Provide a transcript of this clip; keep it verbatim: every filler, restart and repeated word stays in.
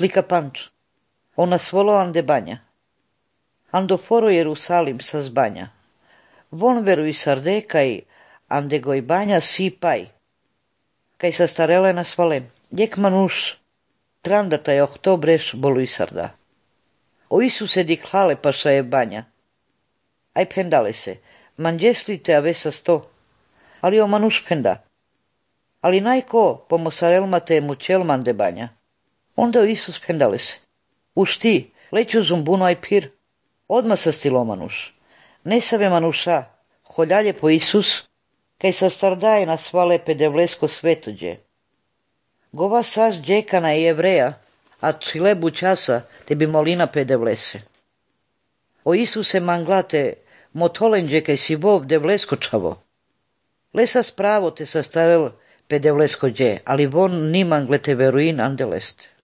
slika panč. Ona svolo ande banja. Ando foro Jerusalim sa zbanja. Von veru i sarde kaj ande goj banja si paj. Kaj sa starele na svalem. Jek manuš, trandata je oktobreš bolu i sarda. O Isuse diklale paša je banja. Aj pendale se, manđeslite a vesa sto. Ali o manuš penda. Ali najko pomosarelmate je mučelman de banja. Onda o Isus pendale se. Už ti, leću zumbuno aj pir. Odma sa stilo manuš. Ne save manuša, holjalje po Isus, kaj sa stardaje na svale pedevlesko svetođe. Gova sas džekana i Jevreja, a čilebu časa te bi molina pedevlese. O Isuse manglate, motolenđe kaj si vov devlesko čavo. Lesa spravo te sa starel pedevlesko dje, ali von ni manglete veruin andeleste.